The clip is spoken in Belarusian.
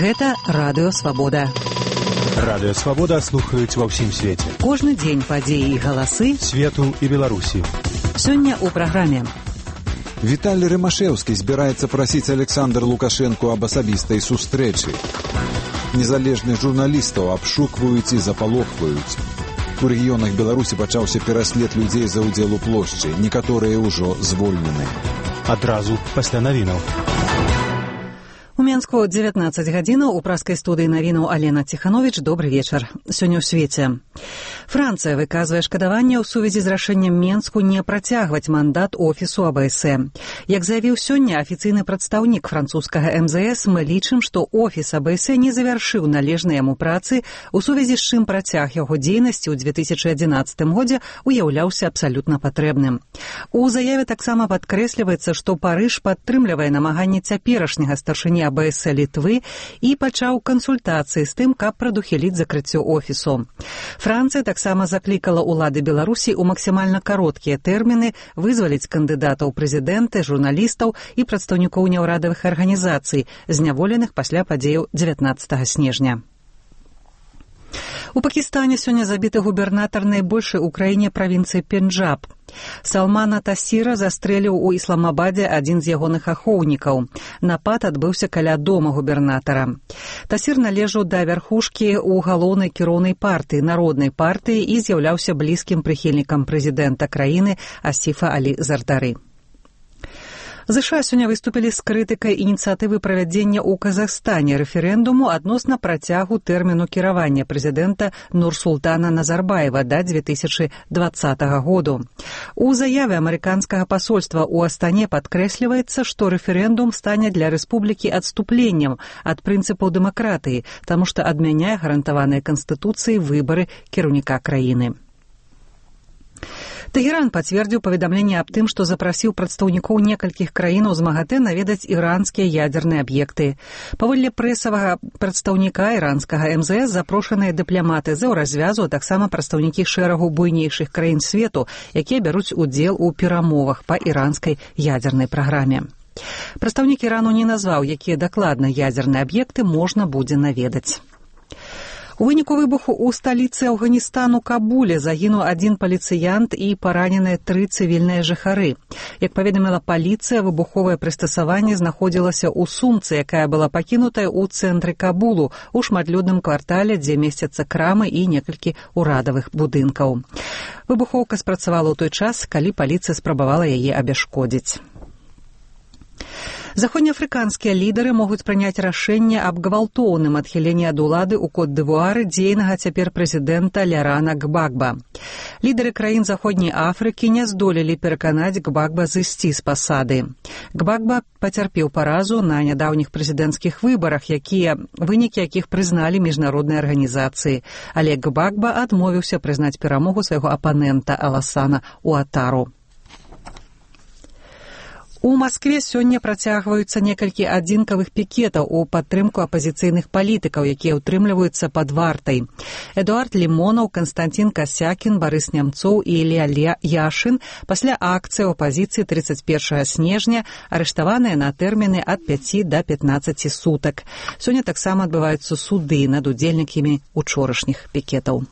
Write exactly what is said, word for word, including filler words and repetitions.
Гэта Радыё Свабода. Радыё Свабода слухаюць ва ўсім свеце. Кожны дзень падзеі і галасы свету і Беларусі. Сёння ў праграме. Віталій Рымашэўскі збіраецца прасіць Александр Лукашэнку аб асабістай сустрэчы. Незалежных журналістаў абшукваюць і запалохваюць. У рэгіёнах Беларусі пачаўся пераслед людзей за ўдзел у плошчы. Некаторыя ўжо звольнены. Адразу пасля навінаў. У Менску дзевятнаццаць гадзінаў у праскай студыі навінаў Алена Ціхановіч. Добры вечар. Сёння ў свеце. Францыя выказвае шкадаванне ў сувязі з рашэннем Менску не працягваць мандат офісу А Б С. Як заявіў сёння афіцыйны прадстаўнік французскага Эм Зэ Эс, мы лічым, што офіс А Б С не завяршыў належнай яму працы, у сувязі з чым працяг яго дзейнасці ў дзве тысячы адзінаццатым годзе уяўляўся абсалютна патрэбным. У заяве таксама падкрэсліваецца, што Парыж падтрымлівае намаганні цяперашняга старшыні А Б С Літвы і пачаў кансультацыі з тым, каб прадухіліць закрыццё офісу. Францыя таксама заклікала ўлады Беларусі ў максімальна кароткія тэрміны вызваліць кандыдатаў прэзідэнты, журналістаў і прадстаўнікоў няўрадавых арганізацый, зняволеных пасля падзеяў дзевятнаццатага снежня. У Пакістане сёння забіты губернатар найбольшай у краіне правінцыі Пенджаб. Салмана Тасіра застрэліў у Ісламабадзе адзін з ягоных ахоўнікаў. Напад адбыўся каля дома губернатара. Тасір належаў да вярхушкі ў галоўнай кіроўнай партыі, народнай партыі, і з'яўляўся блізкім прыхільнікам прэзідэнта краіны Асіфа Алі Зардары. ЗША сёння выступілі з крытыкай ініцыятывы правядзення ў Казахстане рэферэндуму адносна працягу тэрміну кіравання прэзідэнта Нурсултана Назарбаева да дзве тысячы дваццатага году. У заяве амерыканскага пасольства ў Астане падкрэсліваецца, што рэферэндум стане для рэспублікі адступленнем ад прынцыпаў дэмакратыі, таму што адмяняе гарантаваныя канстытуцыяй выбары кіраўніка краіны. Тэгеран пацвердзіў паведамленне аб тым, што запрасіў прадстаўнікоў некалькіх краінаў з МАГАТЭ наведаць іранскія ядзерныя аб'екты. Паводле прэсавага прадстаўніка іранскага Эм Зэ Эс запрошаныя дыпламаты з еўразвязу, а таксама прадстаўнікі шэрагу буйнейшых краін свету, якія бяруць удзел у перамовах па іранскай ядзернай праграме. Прадстаўнік Ірану не назваў, якія дакладна ядзерныя аб'екты можна будзе наведаць. У выніку выбуху ў сталіцы Афганістану Кабуле загінуў адзін паліцыянт і параненыя тры цывільныя жыхары. Як паведаміла паліцыя, выбуховае прыстасаванне знаходзілася ў сумцы, якая была пакінутая ў цэнтры Кабулу, у шматлюдным квартале, дзе месцяцца крамы і некалькі урадавых будынкаў. Выбухоўка спрацавала ў той час, калі паліцыя спрабавала яе абяшкодзіць. Заходнеафрыканскія лідары могуць прыняць рашэнне аб гвалтоўным адхіленні ад улады ў Кот-д'Івуары дзейнага цяпер прэзідэнта Лярана Гбагба. Лідары краін Заходняй Афрыкі не здолелі пераканаць Гбагба зысці з пасады. Гбагба пацярпеў паразу на нядаўніх прэзідэнцкіх выбарах, якія вынікі якіх прызналі міжнародныя арганізацыі. Але Гбагба адмовіўся прызнаць перамогу свайго апанента Аласана Уатару. У Маскве сёння працягваюцца некалькі адзінкавых пікетаў у падтрымку апазіцыйных палітыкаў, якія ўтрымліваюцца пад вартай. Эдуард Лімонаў, Канстантин Касякін, Барыс Нямцоў і Ілля Яшын пасля акцыі апазіцыі трыццаць першага снежня арыштаваныя на тэрміны ад пяці да пятнаццаці сутак. Сёння таксама адбываюцца суды над удзельнікамі учорашніх пікетаў.